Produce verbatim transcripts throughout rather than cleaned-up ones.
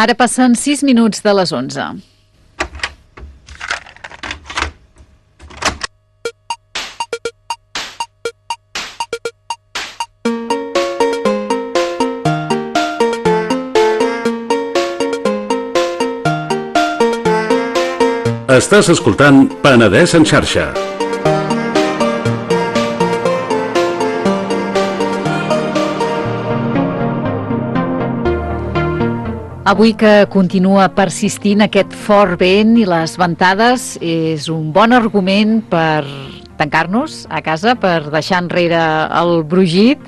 Ara passen sis minuts de les onze. Estàs escoltant Penedès en xarxa. Avui que continua persistint aquest fort vent i les ventades, és un bon argument per tancar-nos a casa, per deixar enrere el brogit,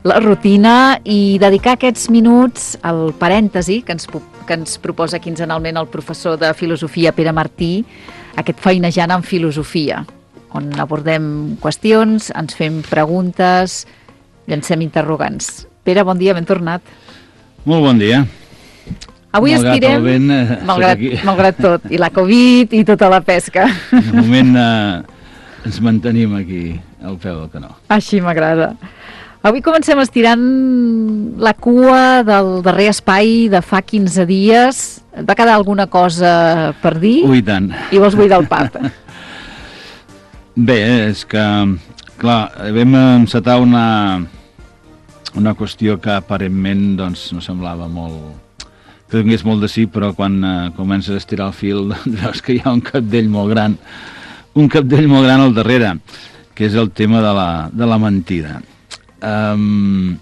la rutina i dedicar aquests minuts al parèntesi que ens, que ens proposa quinzenalment el professor de filosofia Pere Martí, aquest feinejant en filosofia, on abordem qüestions, ens fem preguntes, llancem interrogants. Pere, bon dia, ben tornat. Molt bon dia. Avui malgrat estirem, vent, eh, malgrat, malgrat tot, i la Covid i tota la pesca. De moment eh, ens mantenim aquí al peu del canó. Així m'agrada. Avui comencem estirant la cua del darrer espai de fa quinze dies. Et va quedar alguna cosa per dir? Ui, tant. I vols buidar el pap? Bé, és que, clar, vam encetar una, una qüestió que aparentment doncs, no semblava molt... que donés molt de sí, però quan eh, comences a estirar el fil doncs, veus que hi ha un capdell molt gran, un capdell molt gran al darrere, que és el tema de la, de la mentida. Um,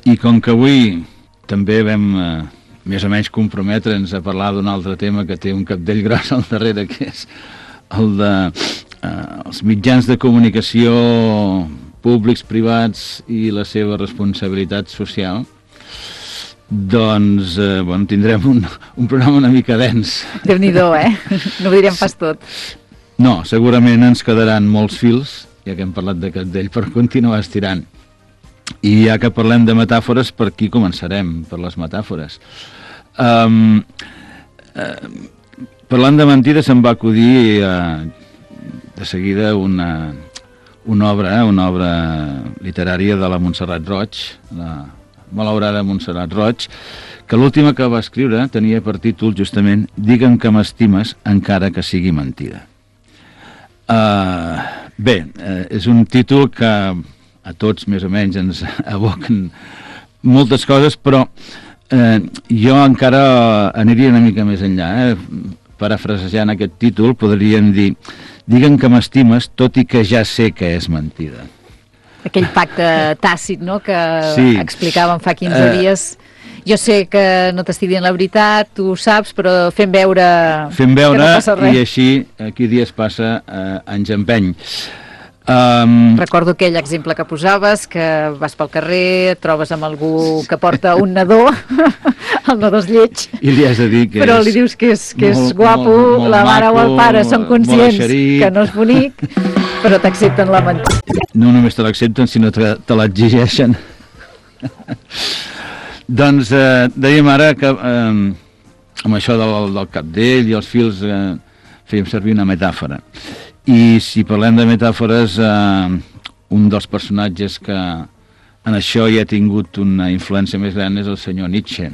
I com que avui també vam eh, més o menys comprometre'ns a parlar d'un altre tema que té un capdell gros al darrere, que és el de eh, els mitjans de comunicació públics, privats i la seva responsabilitat social, doncs, eh, bueno, tindrem un, un programa una mica dens. Déu-n'hi-do, eh? No ho direm pas tot. No, segurament ens quedaran molts fils, ja que hem parlat de capdell, per continuar estirant. I ja que parlem de metàfores, per aquí començarem, per les metàfores. Um, uh, parlant de mentides, se'm va acudir uh, de seguida una, una obra, una obra literària de la Montserrat Roig, la malaurada Montserrat Roig, que l'última que va escriure tenia per títol justament Digue'm que m'estimes encara que sigui mentida. Uh, bé, uh, és un títol que a tots més o menys ens evoquen moltes coses, però uh, jo encara aniria una mica més enllà. Eh? Parafrasejant aquest títol podríem dir Digue'm que m'estimes tot i que ja sé que és mentida. Aquell pacte tàcit, no?, que sí. explicàvem fa quinze uh, dies. Jo sé que no t'estic dient la veritat, tu ho saps, però fem veure, fem veure que no passa res. I així, aquí dies passa, eh, anys empeny. Um... Recordo aquell exemple que posaves, que vas pel carrer, et trobes amb algú que porta un nadó, el nadó és lleig, i li has de dir que però és li dius que és, que és molt, guapo, molt, molt la mare maco, o el pare són conscients que no és bonic, però t'accepten la mentida. No només te l'accepten, sinó que te l'exigeixen. Doncs eh, dèiem ara que eh, amb això del, del capdell i els fils eh, fèiem servir una metàfora. I si parlem de metàfores, eh, un dels personatges que en això hi ha tingut una influència més gran és el senyor Nietzsche.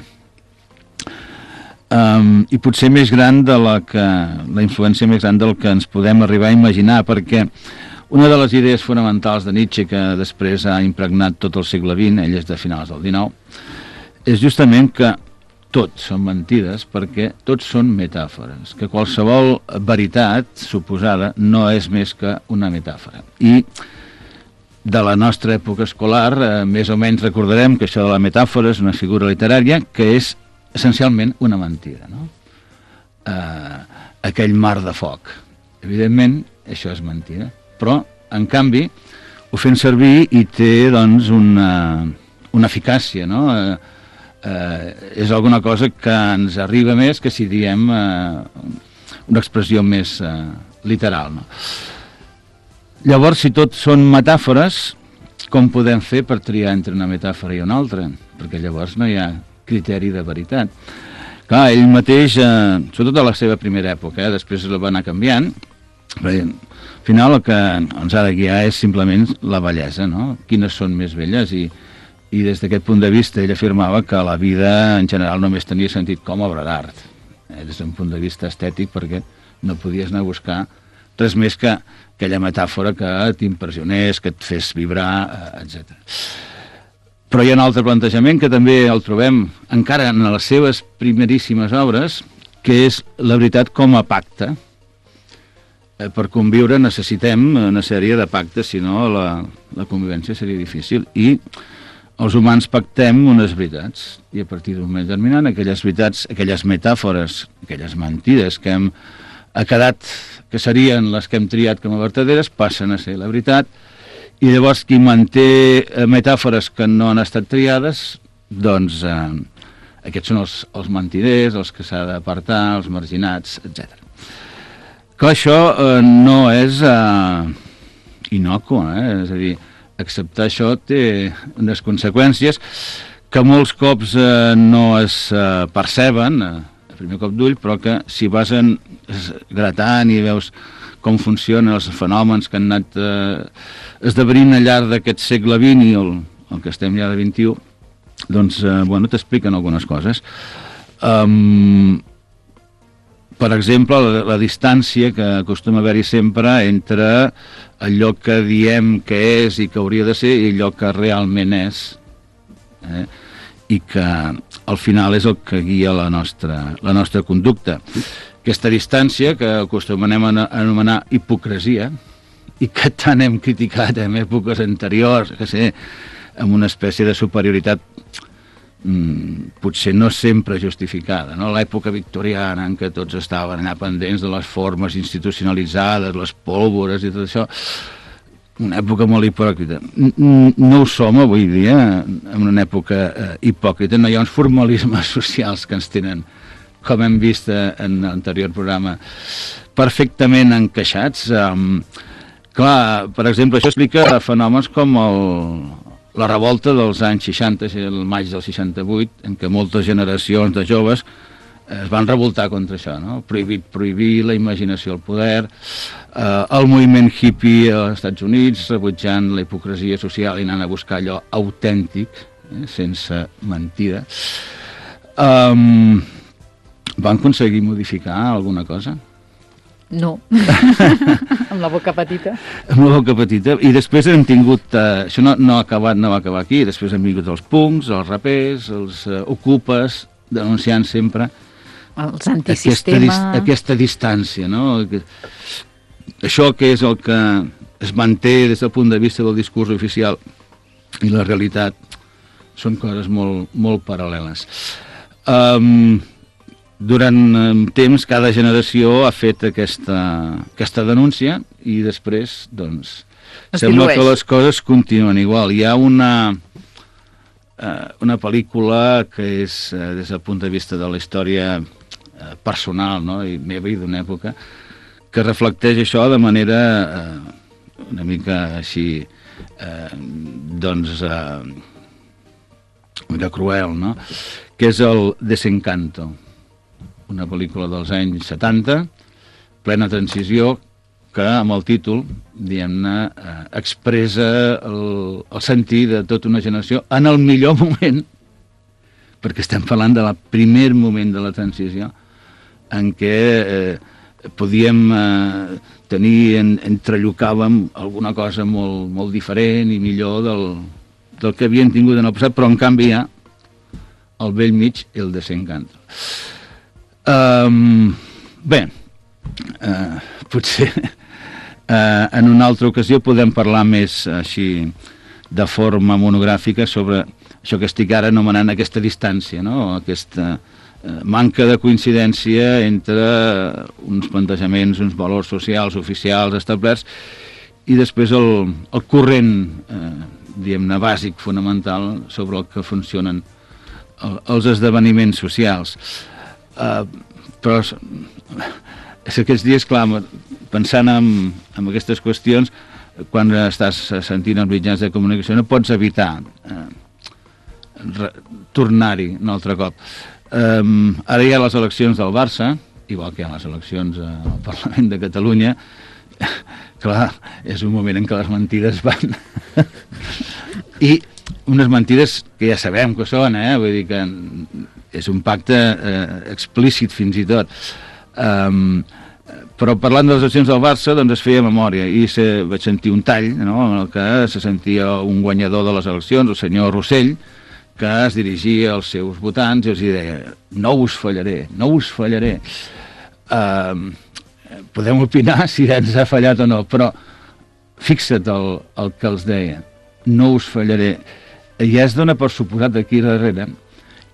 Um, I potser més gran de la que, la influència més gran del que ens podem arribar a imaginar, perquè una de les idees fonamentals de Nietzsche, que després ha impregnat tot el segle vint, ell és de finals del dinou, és justament que tot són mentides perquè tots són metàfores, que qualsevol veritat suposada no és més que una metàfora. I de la nostra època escolar, eh, més o menys recordarem que això de la metàfora és una figura literària que és essencialment una mentida, no? Eh, aquell mar de foc. Evidentment, això és mentida. Però, en canvi, ho fem servir i té, doncs, una, una eficàcia, no? Eh, eh, és alguna cosa que ens arriba més que si diem eh, una expressió més eh, literal, no? Llavors, si tot són metàfores, com podem fer per triar entre una metàfora i una altra? Perquè llavors no hi ha criteri de veritat. Clar, ell mateix, eh, sobretot a la seva primera època, eh, després la va anar canviant, perquè al final el que ens ha de guiar és simplement la bellesa, no? Quines són més belles i, i des d'aquest punt de vista ell afirmava que la vida en general només tenia sentit com a obra d'art, eh, des d'un punt de vista estètic, perquè no podies anar a buscar res més que aquella metàfora que t'impressionés, que et fes vibrar, eh, etcètera. Però hi ha un altre plantejament que també el trobem encara en les seves primeríssimes obres, que és la veritat com a pacte. Eh, per conviure necessitem una sèrie de pactes, si no la, la convivència seria difícil. I els humans pactem unes veritats, i a partir d'un moment determinat, aquelles veritats, aquelles metàfores, aquelles mentides que hem ha quedat, que serien les que hem triat com a verdaderes, passen a ser la veritat, i llavors qui manté metàfores que no han estat triades, doncs eh, aquests són els, els mentiders, els que s'ha d'apartar, els marginats, etcètera. Clar, això eh, no és eh, inocu, eh? És a dir, acceptar això té unes conseqüències que molts cops eh, no es eh, perceben eh, a primer cop d'ull, però que si vas en, gratant i veus com funcionen els fenòmens que han anat eh, esdevenint al llarg d'aquest segle vint i el, el que estem ja de vint-i-u, doncs, eh, bueno, t'expliquen algunes coses. Um, per exemple, la, la distància que acostuma a haver-hi sempre entre allò que diem que és i que hauria de ser i allò que realment és, eh? I que al final és el que guia la nostra, la nostra conducta. Aquesta distància que acostumem a anomenar hipocresia i que tant hem criticat en èpoques anteriors, que sé, amb una espècie de superioritat mmm, potser no sempre justificada, no? L'època victoriana en què tots estaven allà pendents de les formes institucionalitzades, les pólvores i tot això, una època molt hipòcrita. No ho som avui dia, en una època eh, hipòcrita, no hi ha uns formalismes socials que ens tenen, com hem vist en l'anterior programa, perfectament encaixats. Um, clar, per exemple, això explica fenòmens com el, la revolta dels anys seixanta, el maig del seixanta-vuit, en què moltes generacions de joves es van revoltar contra això, no? Prohibit prohibir, la imaginació al poder, eh, el moviment hippie als Estats Units, rebutjant la hipocresia social i anant a buscar allò autèntic, eh, sense mentida. Um, van aconseguir modificar alguna cosa? No, amb la boca petita. Amb la boca petita, i després hem tingut, eh, això no, no ha acabat, no va acabar aquí, després hem vingut els punks, els rapers, els eh, ocupes, denunciant sempre els antisistema, aquesta, aquesta distància, no? Això que és el que es manté des del punt de vista del discurs oficial i la realitat són coses molt, molt paral·leles. Um, durant um, temps cada generació ha fet aquesta, aquesta denúncia i després doncs es sembla dilueix. Que les coses continuen igual. Hi ha una uh, una pel·lícula que és uh, des del punt de vista de la història personal, no? I meva i d'una època que reflecteix això de manera eh, una mica així eh, doncs eh, una cruel, no? Que és el Desencanto, una pel·lícula dels anys setanta, plena transició, que amb el títol, diguem-ne, eh, expressa el, el sentir de tota una generació en el millor moment, perquè estem parlant del primer moment de la transició, en què eh, podíem eh, tenir, en, entrellocàvem alguna cosa molt, molt diferent i millor del, del que havien tingut en el passat, però en canvi hi ha al vell mig el Desencanto. Um, bé, uh, potser uh, en una altra ocasió podem parlar més així de forma monogràfica sobre això que estic ara anomenant aquesta distància, no? Aquesta manca de coincidència entre uns plantejaments, uns valors socials, oficials, establerts, i després el, el corrent, eh, diguem-ne, bàsic, fonamental, sobre el que funcionen el, els esdeveniments socials. Eh, però és, és aquests dies, clar, pensant en, en aquestes qüestions, quan estàs sentint els mitjans de comunicació, no pots evitar eh, tornar-hi un altre cop. Um, ara hi ha les eleccions del Barça, igual que hi ha les eleccions al Parlament de Catalunya. Clar, és un moment en què les mentides van. I unes mentides que ja sabem que són, eh? Vull dir que és un pacte eh, explícit fins i tot. Um, però parlant de les accions del Barça, doncs es feia memòria i se, vaig sentir un tall, no?, en el que se sentia un guanyador de les eleccions, el senyor Rossell, que es dirigia als seus votants i els deia: no us fallaré, no us fallaré. Uh, podem opinar si ens ha fallat o no, però fixa't el, el que els deia, no us fallaré. I ja es dona per suposat aquí darrere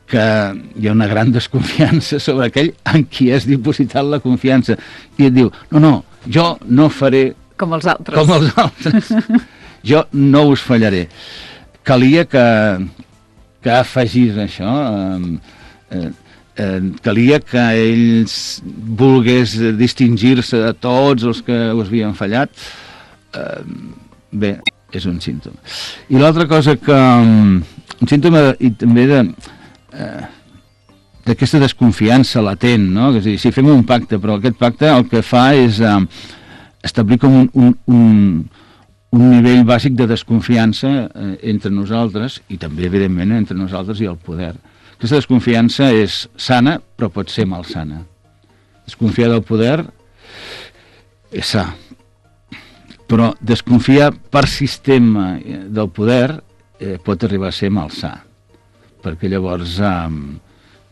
que hi ha una gran desconfiança sobre aquell en qui has dipositat la confiança, i et diu: no, no, jo no faré com els altres, com els altres. Jo no us fallaré. Calia que que afegís això, eh, eh, calia que ells volgués distingir-se de tots els que us havien fallat. Eh, bé, és un símptoma. I l'altra cosa que... un símptoma i també de eh, d'aquesta desconfiança latent, no? És a dir, si fem un pacte, però aquest pacte el que fa és eh, establir com un, un, un un nivell bàsic de desconfiança eh, entre nosaltres i també, evidentment, entre nosaltres i el poder. Aquesta desconfiança és sana, però pot ser malsana. Desconfiar del poder és sa, però desconfiar per sistema del poder eh, pot arribar a ser malsà, perquè llavors eh,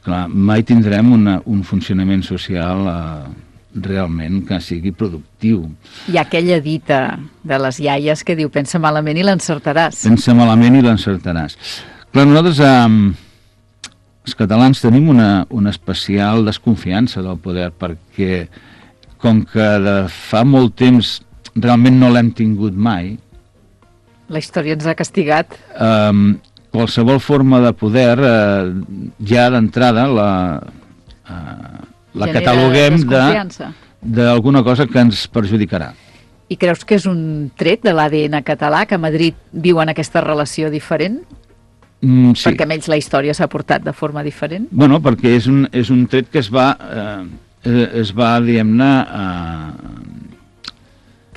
clar, mai tindrem una, un funcionament social eh, realment que sigui productiu. Hi ha aquella dita de les iaies que diu: pensa malament i l'encertaràs. Pensa malament i l'encertaràs. Clar, nosaltres, eh, els catalans, tenim una, una especial desconfiança del poder, perquè com que de fa molt temps realment no l'hem tingut mai, la història ens ha castigat. Eh, qualsevol forma de poder, eh, ja d'entrada la... Eh, la cataloguem d'alguna cosa que ens perjudicarà. I creus que és un tret de l'A D N català, que a Madrid viuen aquesta relació diferent? Mm, sí. Perquè amb ells la història s'ha portat de forma diferent? Bueno, perquè és un, és un tret que es va, eh, es va, diguem-ne, eh,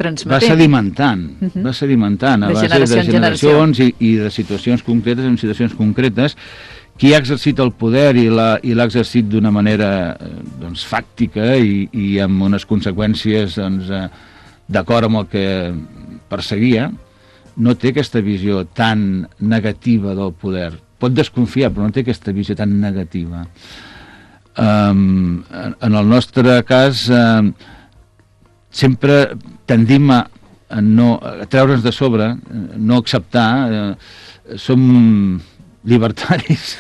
transmetent. Va sedimentant, uh -huh. va sedimentant a de base generació de generacions i, i de situacions concretes en situacions concretes. Qui ha exercit el poder i l'ha exercit d'una manera doncs, fàctica i, i amb unes conseqüències doncs, d'acord amb el que perseguia, no té aquesta visió tan negativa del poder. Pot desconfiar, però no té aquesta visió tan negativa. Um, en el nostre cas, um, sempre tendim a, a, no, a treure'ns de sobre, no acceptar, uh, som libertaris.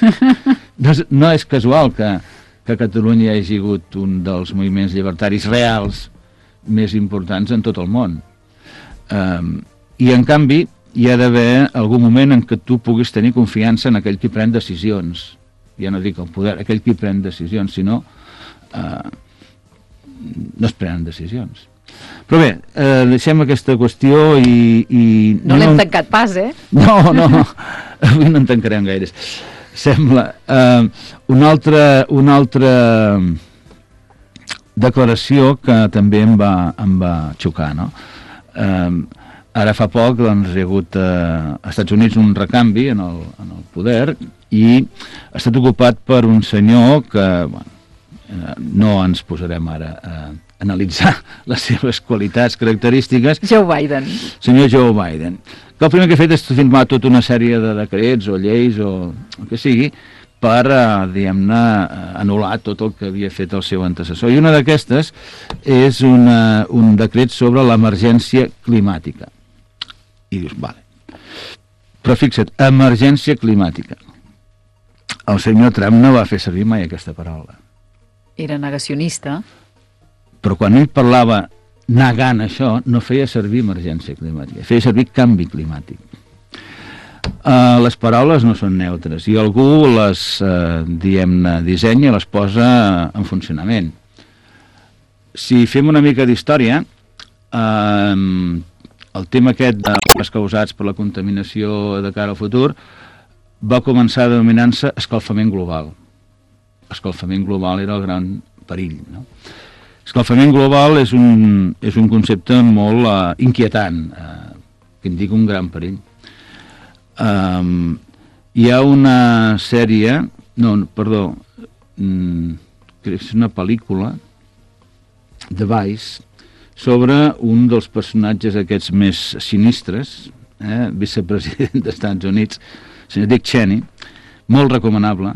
No és, no és casual que, que Catalunya hagi hagut un dels moviments llibertaris reals més importants en tot el món. Um, I, en canvi, hi ha d'haver algun moment en què tu puguis tenir confiança en aquell qui pren decisions. Ja no dic el poder, aquell qui pren decisions, sinó uh, no es prenen decisions. Però bé, eh, deixem aquesta qüestió i... i no l'hem tancat pas, eh? No, no, avui no en tancarem gaires. Sembla. Eh, una altra, una altra declaració que també em va, em va xocar, no? Eh, ara fa poc doncs, hi ha hagut eh, als Estats Units un recanvi en el, en el poder i ha estat ocupat per un senyor que, bueno, eh, no ens posarem ara a analitzar les seves qualitats característiques. Joe Biden. Senyor Joe Biden. Que el primer que ha fet és firmar tota una sèrie de decrets o lleis o el que sigui per, eh, diguem-ne, anul·lar tot el que havia fet el seu antecessor. I una d'aquestes és una, un decret sobre l'emergència climàtica. I dius, vale. Però fixa't, emergència climàtica. El senyor Trump no va fer servir mai aquesta paraula. Era negacionista. Però quan ell parlava negant això, no feia servir emergència climàtica, feia servir canvi climàtic. Uh, les paraules no són neutres i algú les, uh, diguem-ne, dissenya i les posa en funcionament. Si fem una mica d'història, uh, el tema aquest dels causats per la contaminació de cara al futur va començar denominant-se escalfament global. Escalfament global era el gran perill, no? Escalfament global és un, és un concepte molt uh, inquietant, uh, que indica un gran perill. Um, hi ha una sèrie, no, perdó, mm, és una pel·lícula de Vice sobre un dels personatges aquests més sinistres, eh, vicepresident dels Estats Units, el senyor Dick Cheney, molt recomanable.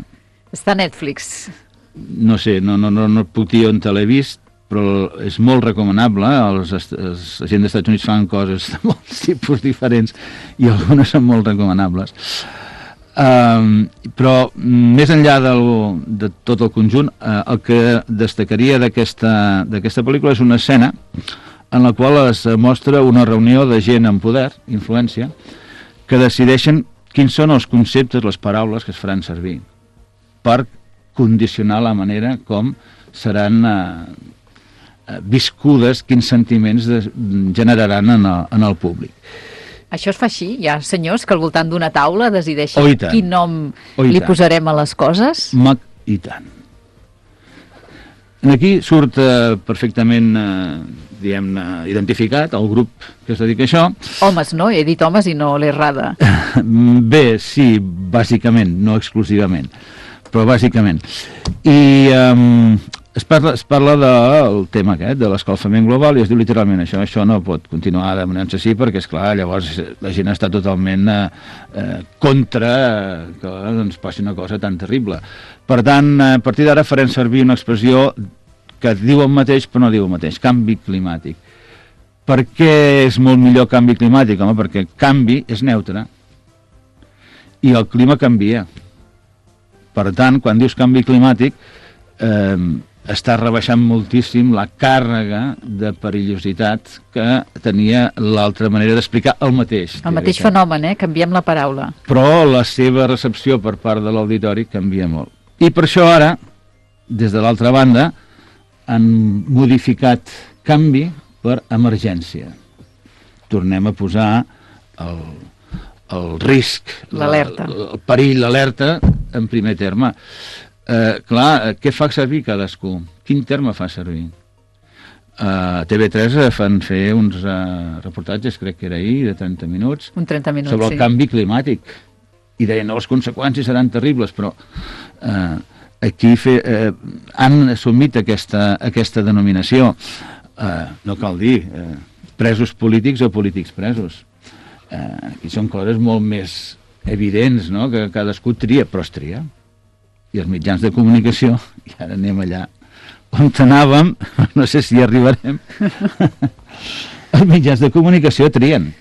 Està a Netflix. No sé, no, no, no, no puc dir on te l'he vist, però és molt recomanable. Els, els agents dels Estats Units fan coses de molts tipus diferents i algunes són molt recomanables. Um, però més enllà del, de tot el conjunt, uh, el que destacaria d'aquesta d'aquesta pel·lícula és una escena en la qual es mostra una reunió de gent amb poder, influència, que decideixen quins són els conceptes, les paraules que es faran servir per condicionar la manera com seran uh, viscudes, quins sentiments de, generaran en el, en el públic. Això es fa així? Hi ha senyors que al voltant d'una taula decideixen oh, quin nom oh, li posarem a les coses? Mac i tant. Aquí surt eh, perfectament, eh, diguem-ne, identificat el grup que es dedica a això. Homes, no? He dit homes i no l'he errada. Bé, sí, bàsicament, no exclusivament, però bàsicament. I eh, es parla, es parla del tema aquest, de l'escalfament global, i es diu literalment això, això no pot continuar demanant-se així, perquè, esclar, llavors la gent està totalment eh, eh, contra eh, que doncs, passi una cosa tan terrible. Per tant, a partir d'ara farem servir una expressió que diu el mateix, però no diu el mateix, canvi climàtic. Per què és molt millor canvi climàtic? Home, perquè canvi és neutre i el clima canvia. Per tant, quan dius canvi climàtic, eh, està rebaixant moltíssim la càrrega de perillositat que tenia l'altra manera d'explicar el mateix. El mateix fenomen, eh? Canviem la paraula. Però la seva recepció per part de l'auditori canvia molt. I per això ara, des de l'altra banda, han modificat canvi per emergència. Tornem a posar el, el risc, l'alerta, el perill, l'alerta en primer terme. Eh, clar, què fa servir cadascú? Quin terme fa servir? A T V tres fan fer uns uh, reportatges, crec que era ahir, de trenta minuts, un trenta minuts, sobre el sí. canvi climàtic. I deien, no, les conseqüències seran terribles, però eh, aquí fe, eh, han assumit aquesta, aquesta denominació. Eh, no cal dir eh, presos polítics o polítics presos. Eh, aquí són coses molt més evidents, no?, que cadascú tria, però es tria. I els mitjans de comunicació, i ara anem allà on anàvem, no sé si hi arribarem, els mitjans de comunicació trien.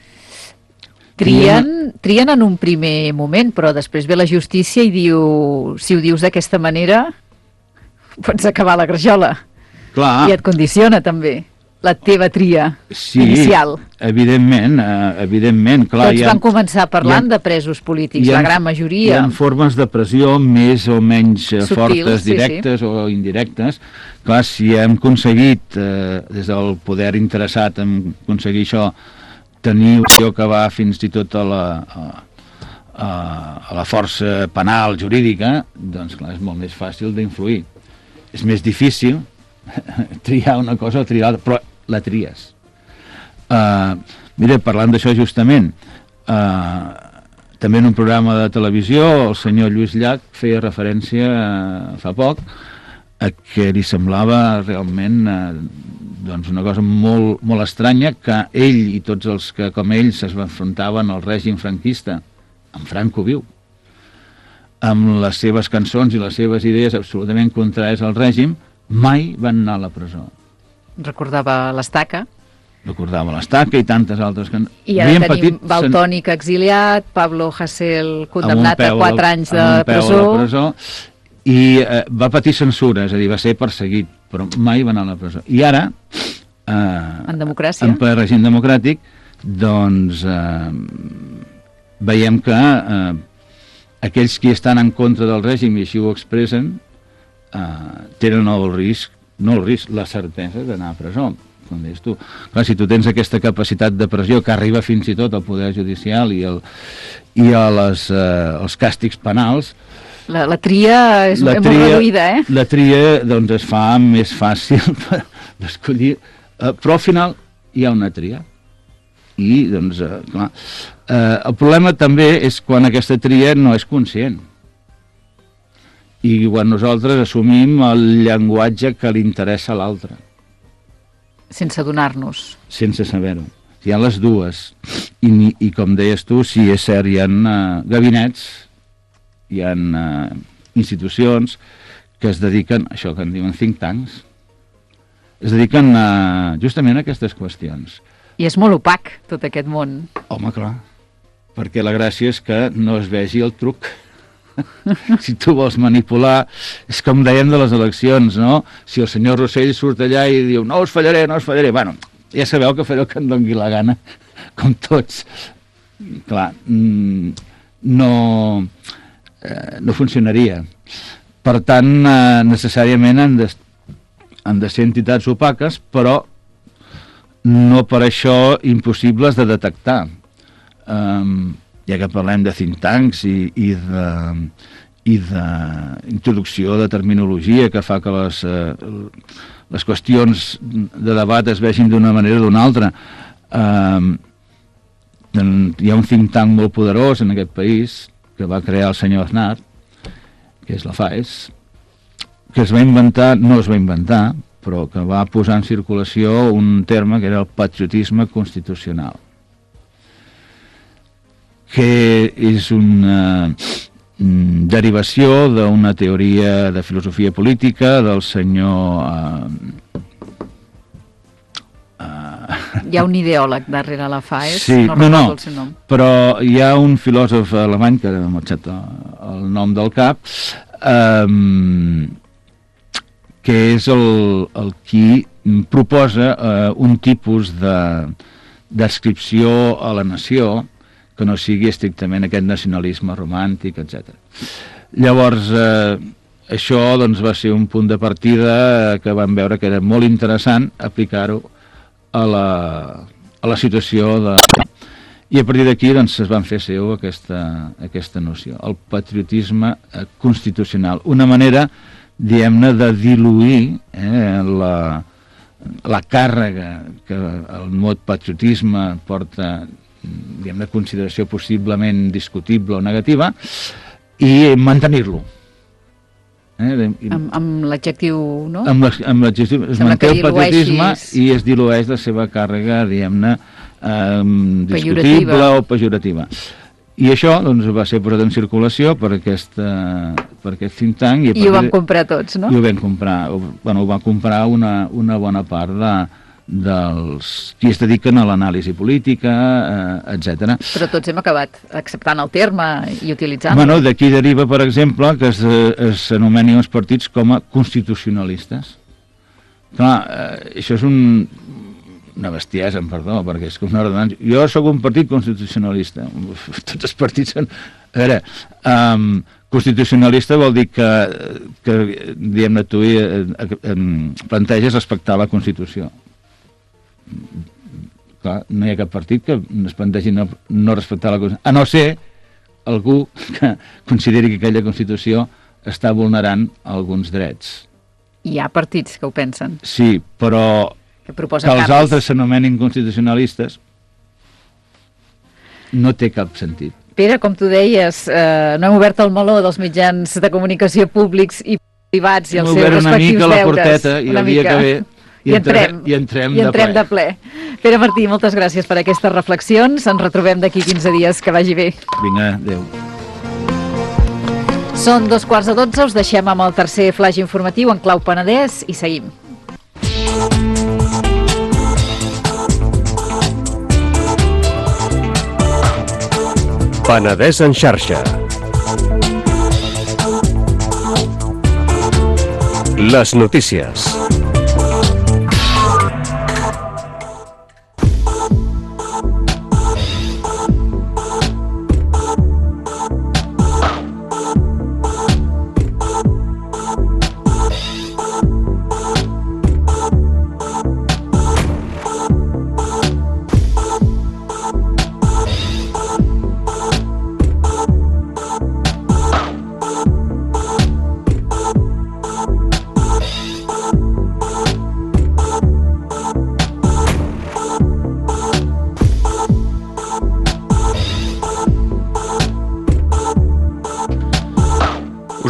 Trien, trien en un primer moment, però després ve la justícia i diu, si ho dius d'aquesta manera, pots acabar la grajola. Clar. I et condiciona també la teva tria sí, inicial. Evidentment, eh, evidentment. Clar, Tots ha, van començar parlant ha, de presos polítics, ha, la gran majoria. Hi ha formes de pressió més o menys Subtils, fortes, directes sí, sí. o indirectes. Clar, si hem aconseguit, eh, des del poder interessat en aconseguir això, tenir opció que va fins i tot a la, a, a, a la força penal, jurídica, doncs clar, és molt més fàcil d'influir. És més difícil triar una cosa o triar l'altra, però la tries. Uh, mira, parlant d'això justament, uh, també en un programa de televisió el senyor Lluís Llach feia referència uh, fa poc a que li semblava realment uh, doncs una cosa molt, molt estranya que ell i tots els que com ell s'enfrontaven al règim franquista, en Franco viu, amb les seves cançons i les seves idees absolutament contràries al règim, mai van anar a la presó. Recordava l'Estaca. Recordava l'Estaca i tantes altres que... I ara tenim petit, Valtònic sen... exiliat, Pablo Hasél condemnat a quatre anys de presó. A presó. I eh, va patir censura, és a dir, va ser perseguit, però mai va anar a la presó. I ara, eh, en democràcia, en règim democràtic, doncs eh, veiem que eh, aquells que estan en contra del règim i així ho expressen, eh, tenen el risc, no el risc, la certesa d'anar a presó. Com deies tu. Clar, si tu tens aquesta capacitat de pressió que arriba fins i tot al poder judicial i, el, i a les, eh, els càstigs penals, la, la tria és la molt tria, reduïda, eh? La tria doncs, es fa més fàcil d'escollir, eh, però al final hi ha una tria. I, doncs, eh, clar, Eh, el problema també és quan aquesta tria no és conscient. I quan nosaltres assumim el llenguatge que li interessa a l'altre. Sense adonar-nos. Sense saber-ho. Hi ha les dues. I, i com deies tu, sí, és cert, hi ha uh, gabinets, hi ha uh, institucions que es dediquen, això que en diuen think tanks, es dediquen uh, justament a aquestes qüestions. I és molt opac, tot aquest món. Home, clar, perquè la gràcia és que no es vegi el truc. Si tu vols manipular, és com dèiem de les eleccions, no? Si el senyor Rossell surt allà i diu no us fallaré, no us fallaré, bueno, ja sabeu que faré el que em doni la gana, com tots. Clar, no, eh, no funcionaria. Per tant, eh, necessàriament han de, han de ser entitats opaques, però no per això impossibles de detectar. Um, ja que parlem de think tanks i, i de i d'introducció de terminologia que fa que les, eh, les qüestions de debat es vegin d'una manera o d'una altra. Eh, hi ha un think tank molt poderós en aquest país que va crear el senyor Aznar, que és la FAES, que es va inventar, no es va inventar, però que va posar en circulació un terme que era el patriotisme constitucional, que és una derivació d'una teoria de filosofia política del senyor... Uh, uh, hi ha un ideòleg darrere la FAES, sí, no no, recordo no, el seu nom. Però hi ha un filòsof alemany, que ara m'ha marxat el nom del cap, um, que és el, el qui proposa uh, un tipus de descripció a la nació que no sigui estrictament aquest nacionalisme romàntic, etcètera. Llavors, eh, això doncs, va ser un punt de partida que vam veure que era molt interessant aplicar-ho a la, a la situació de... I a partir d'aquí doncs, es van fer seu aquesta, aquesta noció, el patriotisme constitucional. Una manera, diguem-ne, de diluir eh, la, la càrrega que el mot patriotisme porta, diguem, de consideració possiblement discutible o negativa, i mantenir-lo. Eh? Amb, amb l'adjectiu, no? Amb l'adjectiu, es manté el patriotisme i es dilueix la seva càrrega, diguem-ne, eh, discutible o pejorativa. I això doncs, va ser posat en circulació per, aquesta, per aquest think tank. I, I ho vam comprar tots, no? I ho vam comprar, bueno, ho va comprar una, una bona part de, dels qui es dediquen a l'anàlisi política, eh, etcètera. Però tots hem acabat acceptant el terme i utilitzant-lo. Bueno, d'aquí deriva, per exemple, que s'anomenin els partits com a constitucionalistes. Clar, eh, això és un, una bestiesa, em perdó, perquè és com una ordenança. Jo sóc un partit constitucionalista. Tots els partits són... A veure, um, constitucionalista vol dir que, que diguem-ne, tu eh, eh, planteges respectar la Constitució. Clar, no hi ha cap partit que es plantegi no, no respectar la Constitució, a no ser algú que consideri que aquella Constitució està vulnerant alguns drets. Hi ha partits que ho pensen. Sí, però que, que els canvis. Altres s'anomenin constitucionalistes no té cap sentit. Pere, com tu deies, eh, no hem obert el meló dels mitjans de comunicació públics i privats i els seus respectius deures. Hem obert una mica la porteta i el dia que ve I, I entrem, i entrem, i de, entrem ple. de ple. Pere Martí, moltes gràcies per aquestes reflexions. Ens retrobem d'aquí quinze dies. Que vagi bé. Vinga, adéu. Són dos quarts de dotze, us deixem amb el tercer flash informatiu en clau Penedès i seguim. Penedès en xarxa. Les notícies.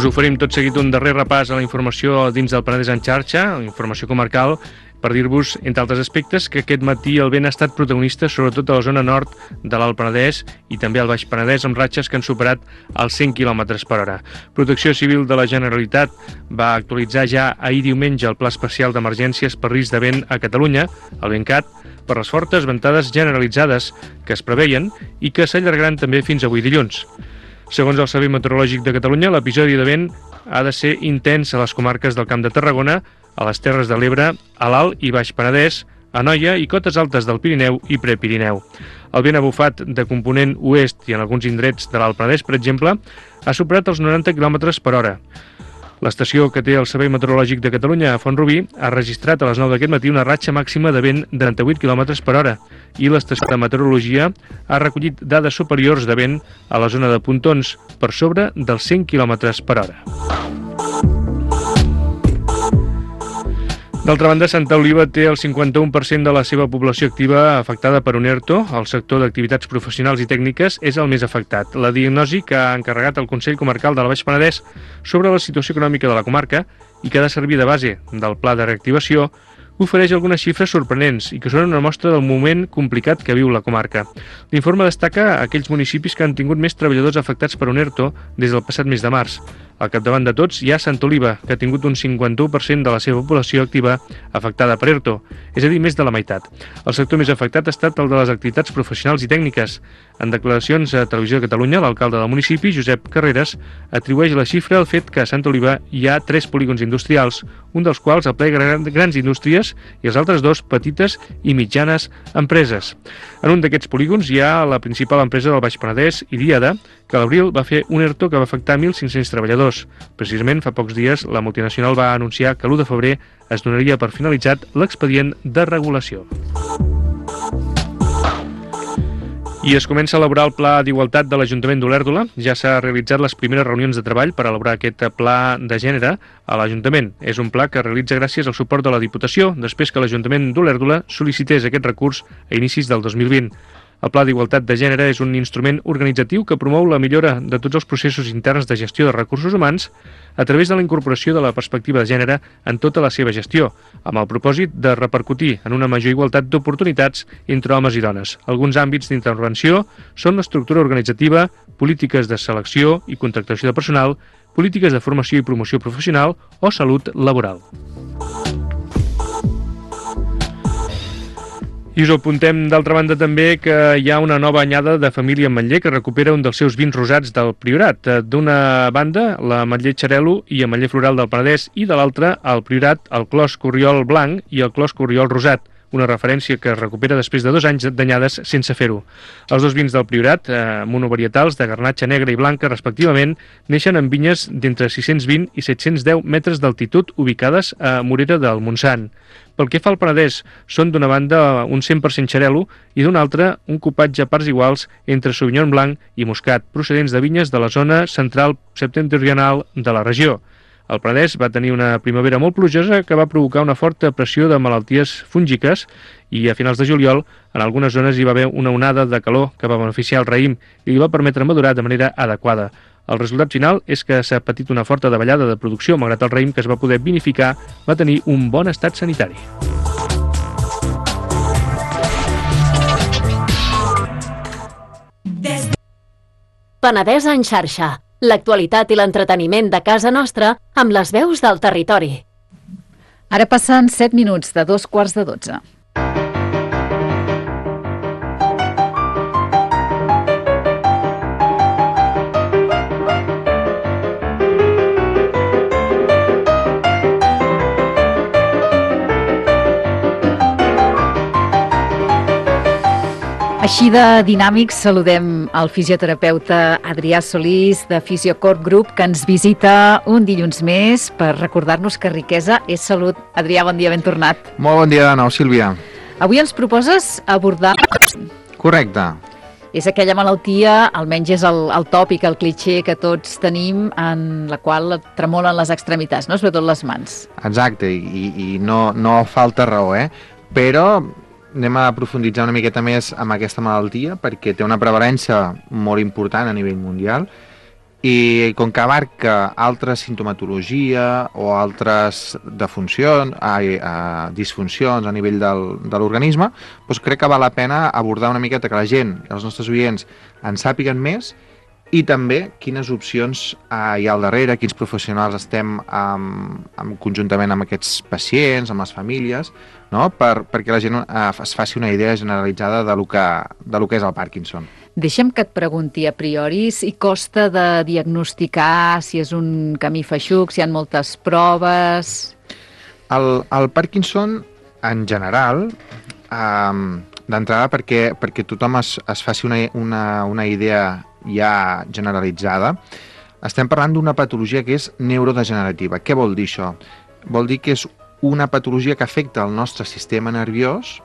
Us oferim tot seguit un darrer repàs a la informació dins del Penedès en xarxa, informació comarcal, per dir-vos, entre altres aspectes, que aquest matí el vent ha estat protagonista sobretot a la zona nord de l'Alt Penedès i també al Baix Penedès, amb ratxes que han superat els cent quilòmetres per hora. Protecció Civil de la Generalitat va actualitzar ja ahir diumenge el Pla Especial d'Emergències per risc de vent a Catalunya, el VENCAT, per les fortes ventades generalitzades que es preveien i que s'allargaran també fins avui dilluns. Segons el Servei Meteorològic de Catalunya, l'episodi de vent ha de ser intens a les comarques del Camp de Tarragona, a les Terres de l'Ebre, a l'Alt i Baix Penedès, a Anoia i cotes altes del Pirineu i Prepirineu. El vent ha bufat de component oest i en alguns indrets de l'Alt Penedès, per exemple, ha superat els noranta quilòmetres per hora. L'estació que té el Servei Meteorològic de Catalunya a Font-rubí ha registrat a les nou d'aquest matí una ratxa màxima de vent de trenta-vuit quilòmetres per hora i l'estació de meteorologia ha recollit dades superiors de vent a la zona de Pontons per sobre dels cent quilòmetres per hora. D'altra banda, Santa Oliva té el cinquanta-u per cent de la seva població activa afectada per un ERTO. El sector d'activitats professionals i tècniques és el més afectat. La diagnosi que ha encarregat el Consell Comarcal del Baix Penedès sobre la situació econòmica de la comarca i que ha de servir de base del pla de reactivació ofereix algunes xifres sorprenents i que són una mostra del moment complicat que viu la comarca. L'informe destaca aquells municipis que han tingut més treballadors afectats per un ERTO des del passat mes de març. Al capdavant de tots hi ha Santa Oliva, que ha tingut un cinquanta-u per cent de la seva població activa afectada per ERTO, és a dir, més de la meitat. El sector més afectat ha estat el de les activitats professionals i tècniques. En declaracions a Televisió de Catalunya, l'alcalde del municipi, Josep Carreras, atribueix la xifra al fet que a Santa Oliva hi ha tres polígons industrials, un dels quals aplega grans indústries i els altres dos petites i mitjanes empreses. En un d'aquests polígons hi ha la principal empresa del Baix Penedès, Idiada, que a l'abril va fer un ERTO que va afectar mil cinc-cents treballadors. Precisament fa pocs dies la multinacional va anunciar que l'u de febrer es donaria per finalitzat l'expedient de regulació. I es comença a elaborar el Pla d'Igualtat de l'Ajuntament d'Olèrdola. Ja s'ha realitzat les primeres reunions de treball per elaborar aquest pla de gènere a l'Ajuntament. És un pla que realitza gràcies al suport de la Diputació, després que l'Ajuntament d'Olèrdola sol·licités aquest recurs a inicis del dos mil vint. El Pla d'Igualtat de Gènere és un instrument organitzatiu que promou la millora de tots els processos interns de gestió de recursos humans a través de la incorporació de la perspectiva de gènere en tota la seva gestió, amb el propòsit de repercutir en una major igualtat d'oportunitats entre homes i dones. Alguns àmbits d'intervenció són l'estructura organitzativa, polítiques de selecció i contractació de personal, polítiques de formació i promoció professional o salut laboral. I us apuntem, d'altra banda, també que hi ha una nova anyada de família ametller que recupera un dels seus vins rosats del Priorat. D'una banda, l'ametller Xarel·lo i ametller floral del Penedès, i de l'altra, al Priorat, el clos Corriol blanc i el clos Corriol rosat, una referència que es recupera després de dos anys d'anyades sense fer-ho. Els dos vins del Priorat, eh, monovarietals de garnatxa negra i blanca, respectivament, neixen en vinyes d'entre sis-cents vint i set-cents deu metres d'altitud ubicades a Morera del Montsant. Pel que fa al Penedès, són d'una banda un cent per cent Xarel·lo i d'una altra un copatge a parts iguals entre Sauvignon blanc i Moscat, procedents de vinyes de la zona central septentrional de la regió. El Penedès va tenir una primavera molt plujosa que va provocar una forta pressió de malalties fúngiques i a finals de juliol en algunes zones hi va haver una onada de calor que va beneficiar el raïm i li va permetre madurar de manera adequada. El resultat final és que s'ha patit una forta davallada de producció, malgrat el raïm que es va poder vinificar va tenir un bon estat sanitari. Penedès en xarxa. L'actualitat i l'entreteniment de casa nostra amb les veus del territori. Ara passen set minuts de dos quarts de dotze. Així de dinàmics, saludem el fisioterapeuta Adrià Solís de Fisiocort Group, que ens visita un dilluns més per recordar-nos que riquesa és salut. Adrià, bon dia, ben tornat. Molt bon dia de nou, Sílvia. Avui ens proposes abordar... Correcte. És aquella malaltia, almenys és el, el tòpic, el clitxé que tots tenim, en la qual tremolen les extremitats, no? Sobretot les mans. Exacte, i, i no, no falta raó, eh? Però anem a profunditzar una miqueta més amb aquesta malaltia perquè té una prevalença molt important a nivell mundial i com que abarca altra sintomatologia o altres defuncions, ai, eh, disfuncions a nivell del, de l'organisme, doncs crec que val la pena abordar una miqueta que la gent, els nostres oients, en sàpiguen més i també quines opcions eh, hi ha al darrere, quins professionals estem amb, amb, conjuntament amb aquests pacients, amb les famílies, no? per, perquè la gent eh, es faci una idea generalitzada de lo que, de lo que és el Parkinson. Deixa'm que et pregunti a priori si costa de diagnosticar, si és un camí feixuc, si hi ha moltes proves... El, el Parkinson, en general, eh, d'entrada perquè, perquè tothom es, es faci una, una, una idea ja generalitzada, estem parlant d'una patologia que és neurodegenerativa. Què vol dir això? Vol dir que és una patologia que afecta el nostre sistema nerviós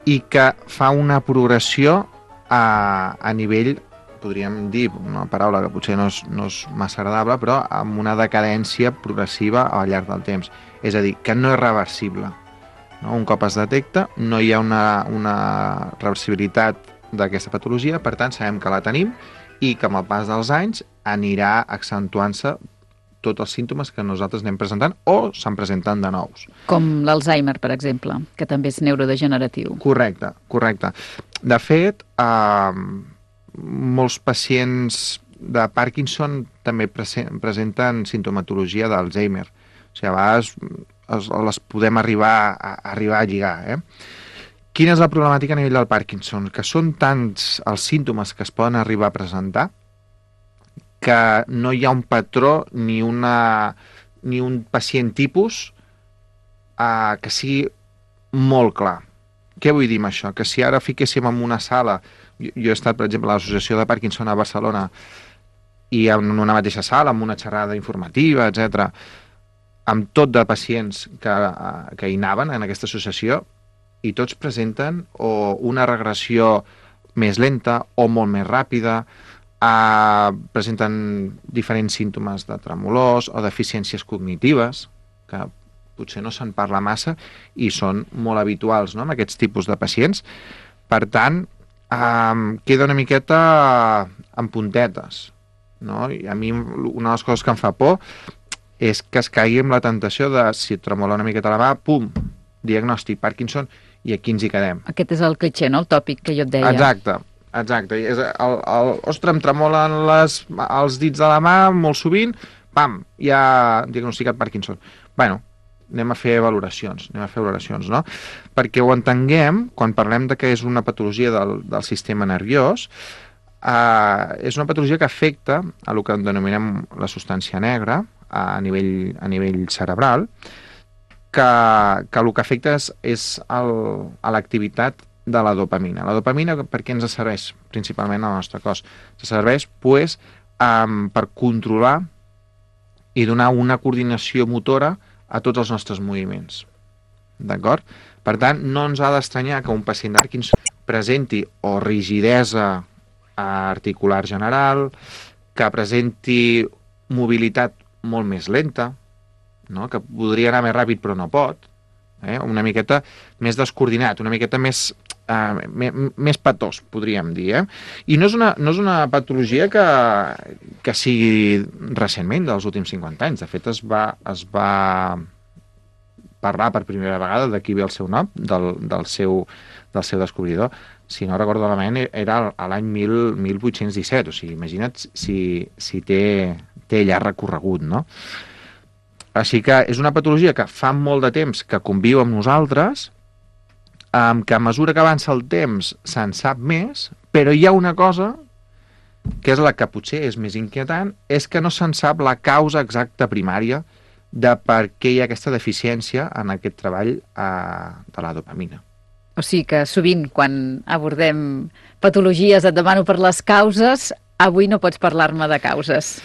i que fa una progressió a, a nivell, podríem dir una paraula que potser no és, no és massa agradable, però amb una decadència progressiva al llarg del temps. És a dir, que no és reversible. No? Un cop es detecta, no hi ha una, una reversibilitat d'aquesta patologia, per tant sabem que la tenim i que amb el pas dels anys anirà accentuant-se tots els símptomes que nosaltres anem presentant o se'n presenten de nous. Com l'Alzheimer, per exemple, que també és neurodegeneratiu. Correcte, correcte. De fet, eh, molts pacients de Parkinson també presenten sintomatologia d'Alzheimer. O sigui, a vegades les podem arribar a, arribar a lligar, eh? Quina és la problemàtica a nivell del Parkinson? Que són tants els símptomes que es poden arribar a presentar que no hi ha un patró ni, una, ni un pacient tipus eh, que sigui molt clar. Què vull dir amb això? Que si ara fiquéssim en una sala, jo, jo he estat, per exemple, a l'Associació de Parkinson a Barcelona i en una mateixa sala, amb una xerrada informativa, etcètera, amb tot de pacients que, que hi anaven en aquesta associació, i tots presenten o una regressió més lenta o molt més ràpida, eh, presenten diferents símptomes de tremolors o deficiències cognitives, que potser no se'n parla massa i són molt habituals, no?, en aquests tipus de pacients. Per tant, eh, queda una miqueta en puntetes, no? I a mi una de les coses que em fa por és que es caigui amb la tentació de, si et tremola una miqueta la mà, pum, diagnòstic Parkinson, i aquí ens hi quedem. Aquest és el clitxé, no?, el tòpic que jo et deia. Exacte, exacte. És el, el, ostres, em tremolen les, els dits de la mà molt sovint, pam, ja diagnosticat Parkinson. Bueno, anem a fer valoracions, anem a fer valoracions, no? Perquè ho entenguem, quan parlem de que és una patologia del, del sistema nerviós, eh, és una patologia que afecta a el que denominem la substància negra a nivell, a nivell cerebral, que, que el que afecta és, és el, a l'activitat de la dopamina. La dopamina per què ens serveix principalment al nostre cos? Ens serveix pues, um, per controlar i donar una coordinació motora a tots els nostres moviments. D'acord? Per tant, no ens ha d'estranyar que un pacient de Parkinson presenti o rigidesa articular general, que presenti mobilitat molt més lenta, no? Que podria anar més ràpid però no pot, eh? Una miqueta més descoordinat, una miqueta més, eh, més, més patós, podríem dir. Eh? I no és una, no és una patologia que, que sigui recentment, dels últims cinquanta anys. De fet, es va, es va parlar per primera vegada, d'aquí ve el seu nom, del, del, seu, del seu descobridor. Si no recordo malament, era a l'any mil vuit-cents disset, o sigui, imagina't si, si té, té llarg recorregut, no? Així que és una patologia que fa molt de temps que conviu amb nosaltres, que a mesura que avança el temps se'n sap més, però hi ha una cosa que és la que potser és més inquietant, és que no se'n sap la causa exacta primària de per què hi ha aquesta deficiència en aquest treball eh, de la dopamina. O sigui que sovint quan abordem patologies et demano per les causes, avui no pots parlar-me de causes.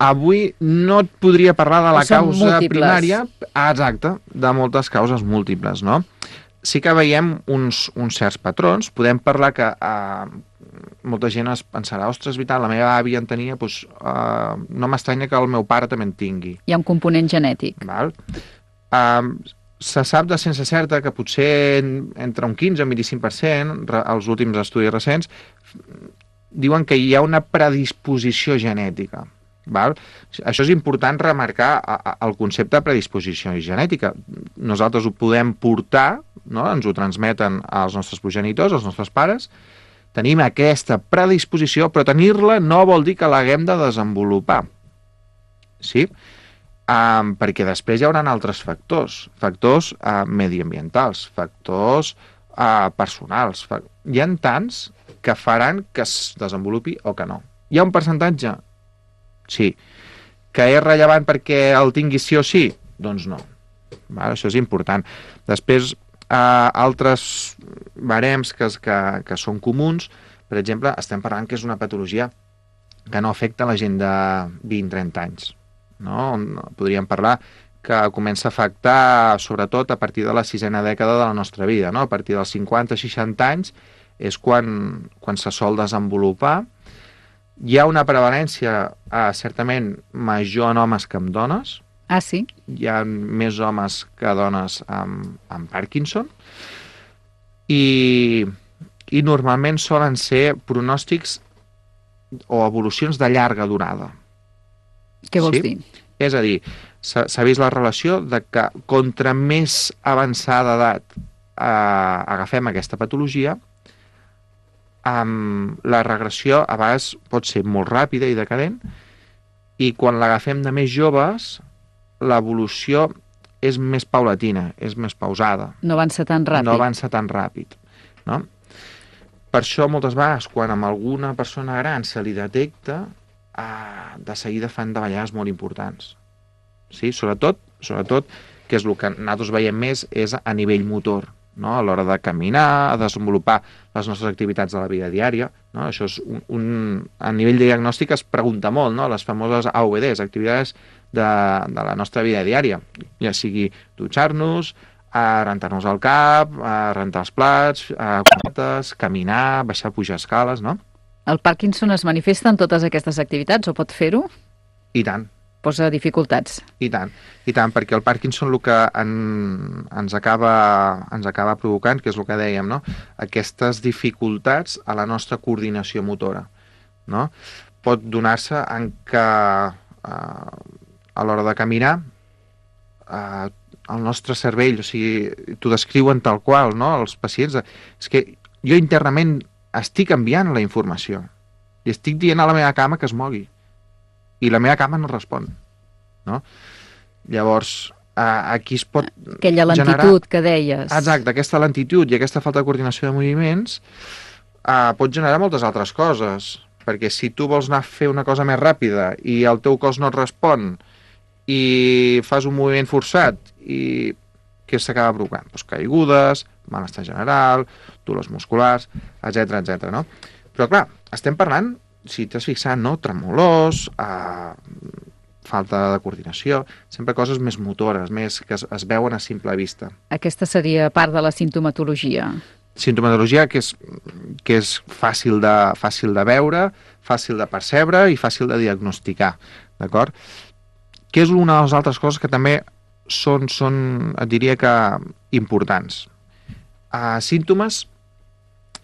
Avui no et podria parlar de la causa múltiples. primària, exacte, de moltes causes múltiples, no? Sí que veiem uns, uns certs patrons, podem parlar que eh, molta gent es pensarà, ostres, Vital, la meva àvia en tenia, doncs, eh, no m'estranya que el meu pare també en tingui. Hi ha un component genètic. Val? Eh, se sap de ciència certa que potser entre un quinze i un vint-i-cinc per cent, els últims estudis recents, diuen que hi ha una predisposició genètica. Val? Això és important remarcar el concepte de predisposició genètica. Nosaltres ho podem portar, no? Ens ho transmeten els nostres progenitors, els nostres pares, tenim aquesta predisposició, però tenir-la no vol dir que l'haguem de desenvolupar. Sí? Um, perquè després hi haurà altres factors, factors uh, mediambientals, factors uh, personals. Fa... Hi ha tants que faran que es desenvolupi o que no. Hi ha un percentatge? Sí. Que és rellevant perquè el tingui sí o sí? Doncs no. Val? Això és important. Després, eh, altres barems que, que, que són comuns, per exemple, estem parlant que és una patologia que no afecta la gent de vint a trenta anys. No? Podríem parlar que comença a afectar sobretot a partir de la sisena dècada de la nostra vida. No? A partir dels cinquanta a seixanta anys és quan, quan se sol desenvolupar. Hi ha una prevalència eh, certament major en homes que en dones. Ah, sí? Hi ha més homes que dones amb, amb Parkinson. I, I normalment solen ser pronòstics o evolucions de llarga durada. Què vols sí? dir? És a dir, s'ha vist la relació de que contra més avançada edat eh, agafem aquesta patologia, Um, la regressió a vegades pot ser molt ràpida i decadent, i quan l'agafem de més joves l'evolució és més paulatina, és més pausada. No avança tan ràpid. No avança tan ràpid. No? Per això moltes vegades quan amb alguna persona gran se li detecta, uh, de seguida fan davallades molt importants. Sí? Sobretot, sobretot, que és el que nosaltres veiem més, és a nivell motor. No? A l'hora de caminar, a desenvolupar les nostres activitats de la vida diària. No? Això és un, un, a nivell de diagnòstic es pregunta molt, no? Les famoses A V Ds, activitats de, de la nostra vida diària, ja sigui dutxar-nos, a rentar-nos el cap, a rentar els plats, a cuetes, caminar, baixar, pujar escales, no? El Parkinson es manifesta en totes aquestes activitats o pot fer-ho? I tant. Posa dificultats. I tant, i tant, perquè el Parkinson el que en, ens, acaba, ens acaba provocant, que és el que dèiem, no? Aquestes dificultats a la nostra coordinació motora. No? Pot donar-se en que eh, a l'hora de caminar eh, el nostre cervell, o sigui, t'ho descriuen tal qual, no? Els pacients, és que jo internament estic enviant la informació i estic dient a la meva cama que es mogui. I la meva cama no respon, no? Llavors, eh, aquí es pot Aquella lentitud generar... que deies. Exacte, aquesta lentitud i aquesta falta de coordinació de moviments eh, pot generar moltes altres coses, perquè si tu vols anar a fer una cosa més ràpida i el teu cos no et respon i fas un moviment forçat, i què s'acaba provocant? Pues caigudes, malestar general, dolors musculars, etcètera, etcètera, no? Però clar, estem parlant, si t'has fixat, no? Tremolors, eh, falta de coordinació, sempre coses més motores, més que es, es veuen a simple vista. Aquesta seria part de la sintomatologia. Sintomatologia que és, que és fàcil, de, fàcil de veure, fàcil de percebre i fàcil de diagnosticar, d'acord? Que és una de les altres coses que també són, són et diria que, importants. Uh, símptomes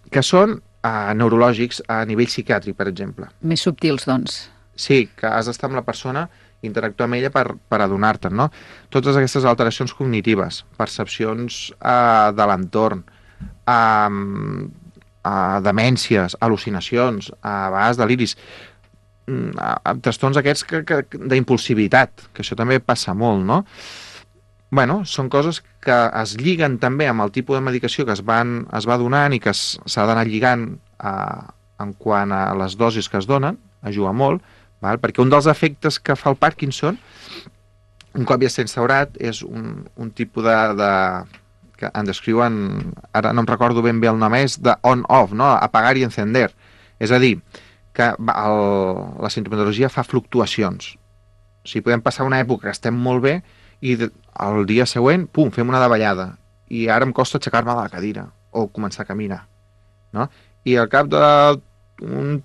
que són Uh, neurològics a nivell psiquiàtric, per exemple. Més subtils, doncs. Sí, que has d'estar amb la persona, interactuar amb ella per, per adonar-te'n, no? Totes aquestes alteracions cognitives, percepcions uh, de l'entorn, uh, uh, demències, al·lucinacions, a uh, vegades deliris, uh, trastorns aquests que, que, d'impulsivitat, que això també passa molt, no? Bueno, són coses que es lliguen també amb el tipus de medicació que es, van, es va donant i que s'ha d'anar lligant a, en quant a les dosis que es donen, ajuda molt, val? Perquè un dels efectes que fa el Parkinson, un cop ja s'ha instaurat, és un, un tipus de, de... que en descriuen, ara no em recordo ben bé el nom, és de on-off, no? Apagar i encender. És a dir, que el, la sintomatologia fa fluctuacions. O sigui, podem passar una època que estem molt bé i el dia següent, pum, fem una davallada. I ara em costa aixecar-me de la cadira o començar a caminar. No? I al cap d'un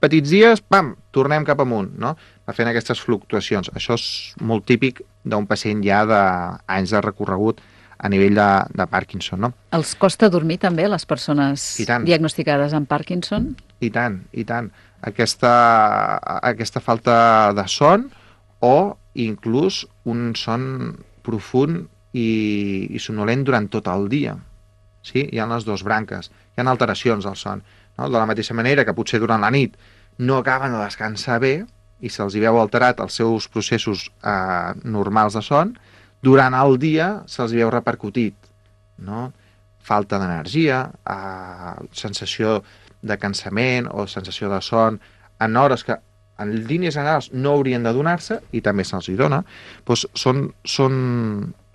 petits dies, pam, tornem cap amunt, no? Va fent aquestes fluctuacions. Això és molt típic d'un pacient ja d'anys de recorregut a nivell de, de Parkinson, no? Els costa dormir també, les persones diagnosticades amb Parkinson? i tant, i tant. Aquesta, aquesta falta de son o inclús un son profund i, i sonolent durant tot el dia. Sí? Hi ha les dues branques, hi ha alteracions del son. No? De la mateixa manera que potser durant la nit no acaben de descansar bé i se'ls hi veu alterat els seus processos eh, normals de son, durant el dia se'ls hi veu repercutit. No? Falta d'energia, eh, sensació de cansament o sensació de son en hores que en línies generals no haurien de donar-se i també se'ls hi dona, doncs són, són,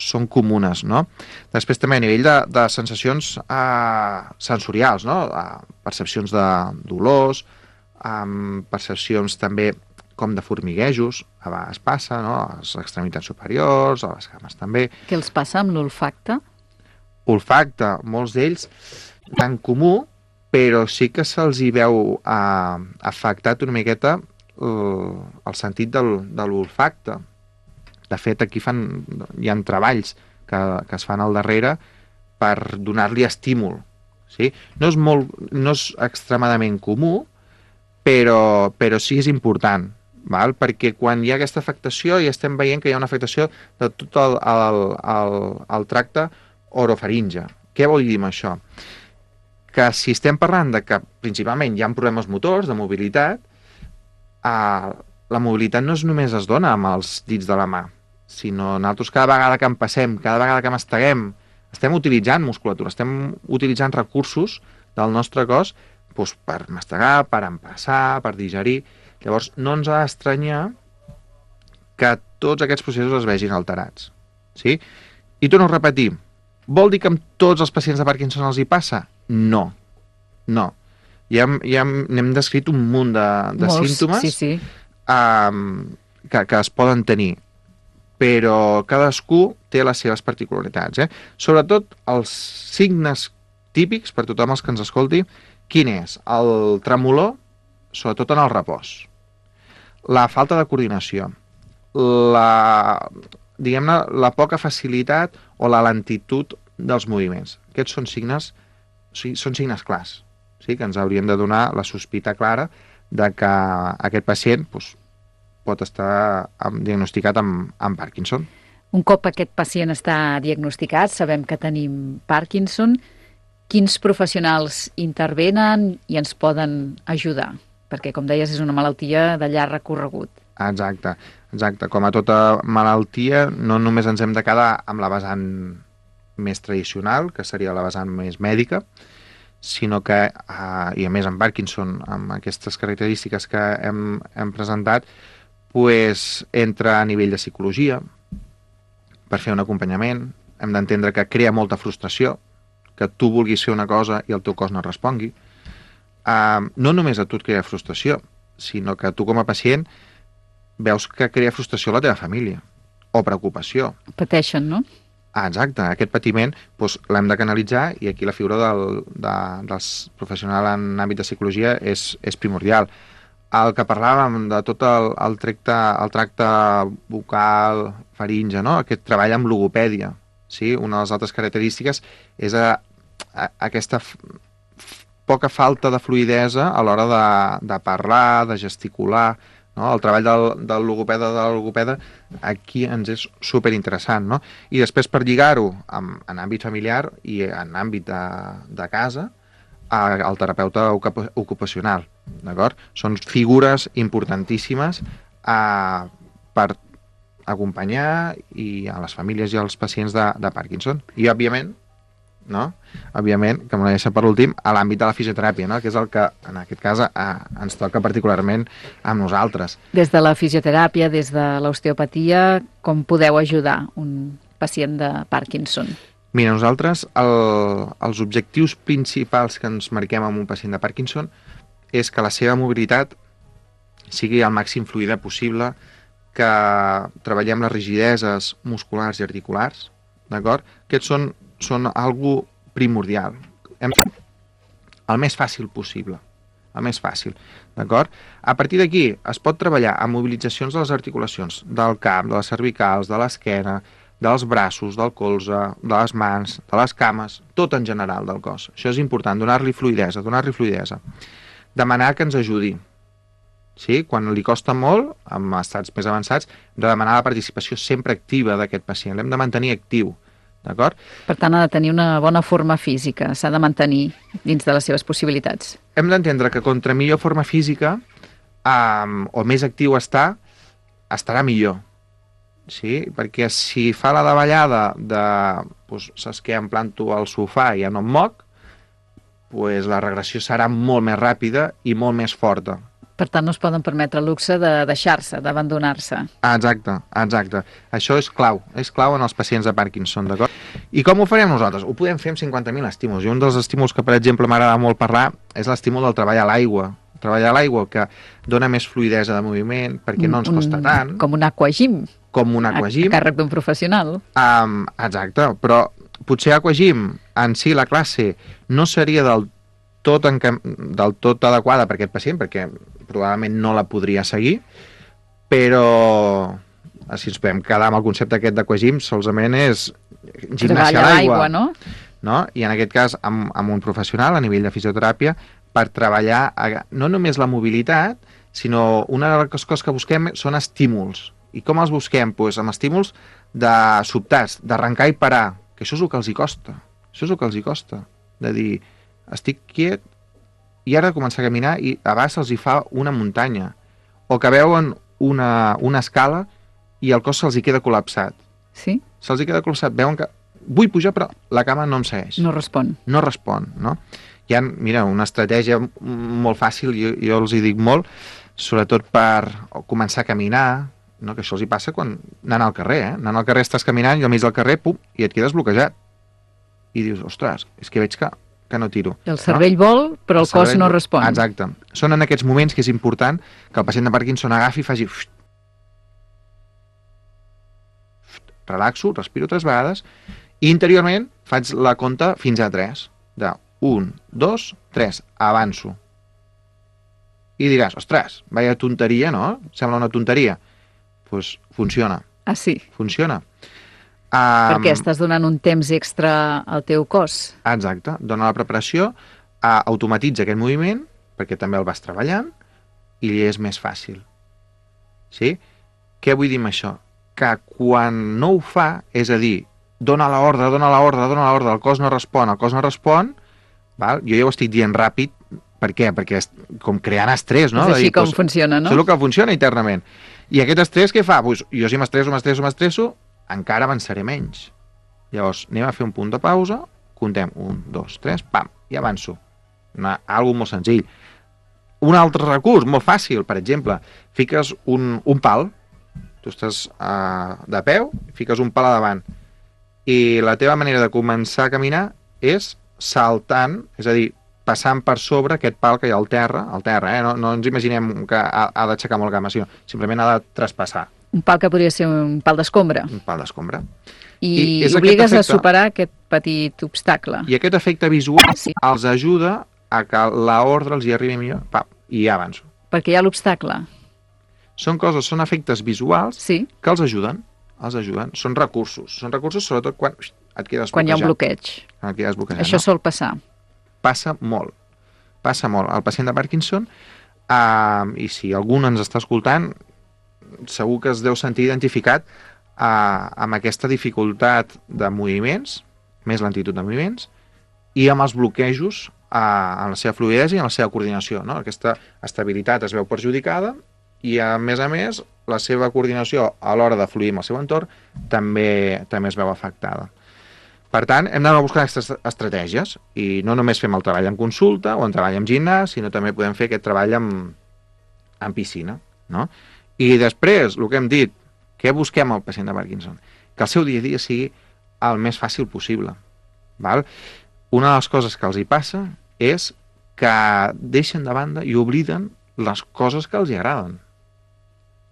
són comunes, no? Després també a nivell de, de sensacions eh, sensorials, no? Eh, percepcions de dolors, eh, percepcions també com de formiguejos, a vegades passa, no? A les extremitats superiors, a les cames també. Què els passa amb l'olfacte? Olfacte, molts d'ells tan comú, però sí que se'ls hi veu eh, afectat una miqueta eh, el sentit del, de l'olfacte. De fet, aquí fan, hi ha treballs que, que es fan al darrere per donar-li estímul. Sí? No és molt, no és extremadament comú, però, però sí és important, val? Perquè quan hi ha aquesta afectació ja estem veient que hi ha una afectació de tot el, el, el, el tracte orofaringe. Què vol dir amb això? Que si estem parlant de que principalment hi ha problemes motors, de mobilitat, eh, la mobilitat no és només es dona amb els dits de la mà, sinó nosaltres cada vegada que en passem, cada vegada que masteguem, estem utilitzant musculatura, estem utilitzant recursos del nostre cos doncs, per mastegar, per empassar, per digerir. Llavors no ens ha d'estranyar que tots aquests processos es vegin alterats. Sí? I torno a repetir, vol dir que amb tots els pacients de Parkinson els hi passa? No, no. Ja, ja n'hem descrit un munt de, de Molts, símptomes sí, sí. Um, que, que es poden tenir, però cadascú té les seves particularitats. Eh? Sobretot els signes típics, per tothom els que ens escolti, quin és? El tremolor, sobretot en el repòs. La falta de coordinació. La, diguem-ne, la poca facilitat o la lentitud dels moviments. Aquests són signes Sí, són signes clars, sí? Que ens haurien de donar la sospita clara de que aquest pacient doncs, pot estar amb, diagnosticat amb, amb Parkinson. Un cop aquest pacient està diagnosticat, sabem que tenim Parkinson, quins professionals intervenen i ens poden ajudar? Perquè, com deies, és una malaltia de llarg recorregut. Exacte, exacte. Com a tota malaltia, no només ens hem de quedar amb la vessant més tradicional, que seria la vessant més mèdica, sinó que, eh, i a més en Parkinson, amb aquestes característiques que hem, hem presentat, pues, entra a nivell de psicologia, per fer un acompanyament. Hem d'entendre que crea molta frustració, que tu vulguis fer una cosa i el teu cos no respongui. Eh, no només a tu et crea frustració, sinó que tu com a pacient veus que crea frustració a la teva família, o preocupació. Pateixen, no? Ah, exacte, aquest patiment doncs, l'hem de canalitzar i aquí la figura del, de, dels professionals en àmbit de psicologia és, és primordial. El que parlàvem de tot el, el, tracte, el tracte bucal, faringe, no? Aquest treball amb logopèdia. Sí? Una de les altres característiques és a, a, aquesta f, f, poca falta de fluïdesa a l'hora de, de parlar, de gesticular. No? El treball del, del logopeda de la logopeda aquí ens és superinteressant. No? I després per lligar-ho en, en àmbit familiar i en àmbit de, de casa al terapeuta ocupacional. Són figures importantíssimes eh, per acompanyar i a les famílies i als pacients de, de Parkinson. I òbviament, no? òbviament, que m'ho deixa per últim, a l'àmbit de la fisioteràpia, no? Que és el que en aquest cas eh, ens toca particularment amb nosaltres. Des de la fisioteràpia, des de l'osteopatia, com podeu ajudar un pacient de Parkinson? Mira, nosaltres el, els objectius principals que ens marquem amb un pacient de Parkinson és que la seva mobilitat sigui el màxim fluida possible, que treballem les rigideses musculars i articulars, d'acord? Aquests són són algo primordial. Hem fet el més fàcil possible. El més fàcil, d'acord? A partir d'aquí es pot treballar amb mobilitzacions de les articulacions, del cap, de les cervicals, de l'esquena, dels braços, del colze, de les mans, de les cames, tot en general del cos. Això és important, donar-li fluïdesa, donar-li fluïdesa. demanar que ens ajudi. Sí? Quan li costa molt, amb estats més avançats, hem de demanar la participació sempre activa d'aquest pacient. L'hem de mantenir actiu. D'acord? Per tant, ha de tenir una bona forma física, s'ha de mantenir dins de les seves possibilitats. Hem d'entendre que contra millor forma física um, o més actiu està, estarà millor. Sí? Perquè si fa la davallada de, doncs, saps què, em planto al sofà i ja no em moc, doncs la regressió serà molt més ràpida i molt més forta. Per tant, no es poden permetre el luxe de deixar-se, d'abandonar-se. Exacte, exacte. Això és clau, és clau en els pacients de Parkinson, d'acord? I com ho farem nosaltres? Ho podem fer amb cinquanta mil estímuls. I un dels estímuls que, per exemple, m'agrada molt parlar és l'estímul del treball a l'aigua. Treballar a l'aigua, que dona més fluïdesa de moviment, perquè no ens costa tant. Com un aquagym. Com un aquagym. A càrrec d'un professional. Um, exacte, però potser aquagym en si la classe no seria del tot, en, del tot adequada per aquest pacient, perquè probablement no la podria seguir, però si ens podem quedar amb el concepte aquest d'aquagym, solament és gimnàsia a l'aigua, no? no? I en aquest cas amb, amb un professional a nivell de fisioteràpia per treballar no només la mobilitat, sinó una de les coses que busquem són estímuls. I com els busquem? Pues amb estímuls de sobtats, d'arrencar i parar, que això és el que els hi costa. Això és el que els hi costa. De dir, estic quiet i ara de començar a caminar i a vegades se'ls hi fa una muntanya. O que veuen una, una escala i el cos se'ls hi queda col·lapsat. Sí? Se'ls hi queda col·lapsat. Veuen que vull pujar però la cama no em segueix. No respon. No respon, no? Hi ha, mira, una estratègia molt fàcil, jo, jo els hi dic molt, sobretot per començar a caminar, no? Que això els hi passa quan anant al carrer, eh? Anant al carrer estàs caminant i al mig del carrer, pum, i et quedes bloquejat. I dius, ostres, és que veig que, que no tiro. El cervell no? vol, però el, el cos no respon. Exacte. Són en aquests moments que és important que el pacient de Parkinson agafi i faci... Relaxo, respiro tres vegades i interiorment faig la compta fins a tres. De un, dos, tres, avanço. I diràs, ostres, vaya tonteria, no? Sembla una tonteria. Doncs pues funciona. Ah, sí? Funciona. Um, Perquè estàs donant un temps extra al teu cos. Exacte. Dona la preparació, uh, automatitza aquest moviment, perquè també el vas treballant, i li és més fàcil. Sí? Què vull dir amb això? Que quan no ho fa, és a dir, dona l'ordre, dona l'ordre, dona l'ordre, el cos no respon, el cos no respon, val? Jo ja ho estic dient ràpid, per què? Perquè és com creant estrès, no? És així dir, com doncs, funciona, no? És el que funciona internament. I aquest estrès què fa? Pues, jo si m'estresso, m'estresso, m'estresso, encara avançaré menys. Llavors, anem a fer un punt de pausa, comptem un, dos, tres, pam, i avanço. Una, algo molt senzill. Un altre recurs, molt fàcil, per exemple, fiques un, un pal, tu estàs uh, de peu, fiques un pal a davant, i la teva manera de començar a caminar és saltant, és a dir, passant per sobre aquest pal que hi ha al terra, al terra, eh? no, no ens imaginem que ha, ha d'aixecar molt gamma, sinó simplement ha de traspassar. Un pal que podria ser un pal d'escombra. Un pal d'escombra. I, I obligues a superar aquest petit obstacle. I aquest efecte visual sí. els ajuda a que l'ordre els hi arribi millor, pam, i ja avanço. Perquè hi ha l'obstacle. Són coses, són efectes visuals sí. que els ajuden, els ajuden. Són recursos, són recursos sobretot quan et quedes bloquejat. Quan hi ha un bloqueig. Quan et quedes bloquejat, Això no. sol passar. Passa molt, passa molt. El pacient de Parkinson, uh, i si algú ens està escoltant, segur que es deu sentir identificat uh, amb aquesta dificultat de moviments, més lentitud de moviments, i amb els bloquejos uh, en la seva fluïdesa i en la seva coordinació. No? Aquesta estabilitat es veu perjudicada i, a més a més, la seva coordinació a l'hora de fluir amb el seu entorn també, també es veu afectada. Per tant, hem d'anar a buscar aquestes estratègies i no només fem el treball en consulta o en treball en gimnàs, sinó també podem fer aquest treball en, en piscina. No? I després, el que hem dit, què busquem al pacient de Parkinson? Que el seu dia a dia sigui el més fàcil possible. Val? Una de les coses que els hi passa és que deixen de banda i obliden les coses que els hi agraden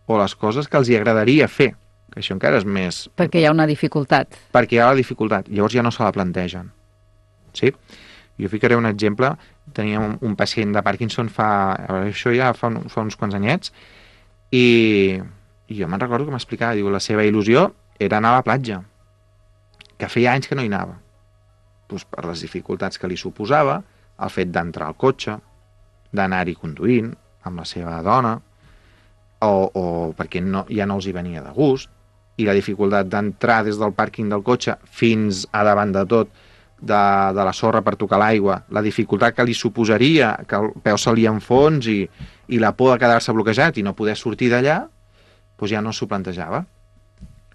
o les coses que els hi agradaria fer, que això encara és més... Perquè hi ha una dificultat. Perquè hi ha la dificultat, llavors ja no se la plantegen. Sí? Jo ficaré un exemple, teníem un, un pacient de Parkinson fa... Això ja fa, un, fa uns quants anyets, i, i jo me'n recordo que m'explicava, diu, la seva il·lusió era anar a la platja, que feia anys que no hi anava. Pues per les dificultats que li suposava, el fet d'entrar al cotxe, d'anar-hi conduint amb la seva dona, o, o perquè no, ja no els hi venia de gust, i la dificultat d'entrar des del pàrquing del cotxe fins a davant de tot de, de la sorra per tocar l'aigua, la dificultat que li suposaria que el peu se li enfonsi i, i la por de quedar-se bloquejat i no poder sortir d'allà, doncs ja no s'ho plantejava.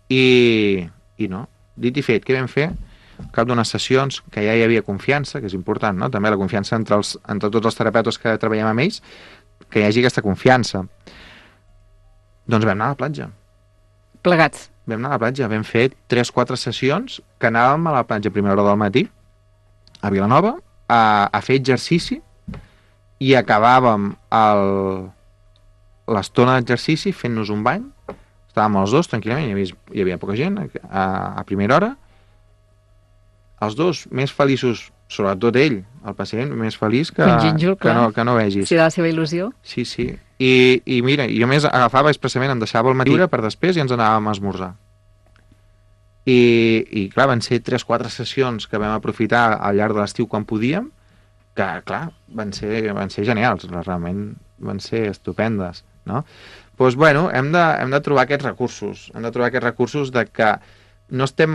I, i no. Dit i fet, què vam fer? Al cap d'unes sessions que ja hi havia confiança, que és important, no? També la confiança entre, els, entre tots els terapeutes que treballem amb ells, que hi hagi aquesta confiança. Doncs vam anar a la platja. Plegats. Vam anar a la platja, vam fer tres o quatre sessions que anàvem a la platja a primera hora del matí, a Vilanova, a, a fer exercici, i acabàvem l'estona d'exercici fent-nos un bany. Estàvem els dos tranquil·lament, hi havia, hi havia poca gent a, a primera hora. Els dos més feliços, sobretot ell, el pacient, més feliç que, gínjol, que, no, que no vegis. Sí, de la seva il·lusió. Sí, sí. I, i mira, jo més agafava expressament, em deixava el matí per després i ens anàvem a esmorzar. I, i clar, van ser tres o quatre sessions que vam aprofitar al llarg de l'estiu quan podíem, que clar, van ser, van ser genials, realment van ser estupendes, no? Doncs, bueno, hem de, hem de trobar aquests recursos, hem de trobar aquests recursos de que no estem,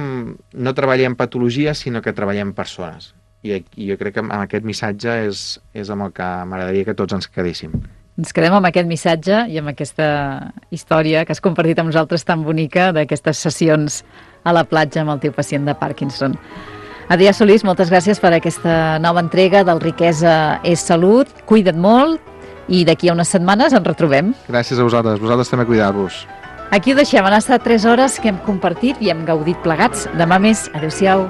no treballem patologia, sinó que treballem persones. I, i jo crec que amb aquest missatge és, és amb el que m'agradaria que tots ens quedéssim. Ens quedem amb aquest missatge i amb aquesta història que has compartit amb nosaltres tan bonica d'aquestes sessions a la platja amb el teu pacient de Parkinson. Adrià Solís, moltes gràcies per aquesta nova entrega del Riquesa és Salut. Cuida't molt i d'aquí a unes setmanes ens retrobem. Gràcies a vosaltres, vosaltres també cuidar-vos. Aquí ho deixem, han estat tres hores que hem compartit i hem gaudit plegats. Demà més, adeu-siau.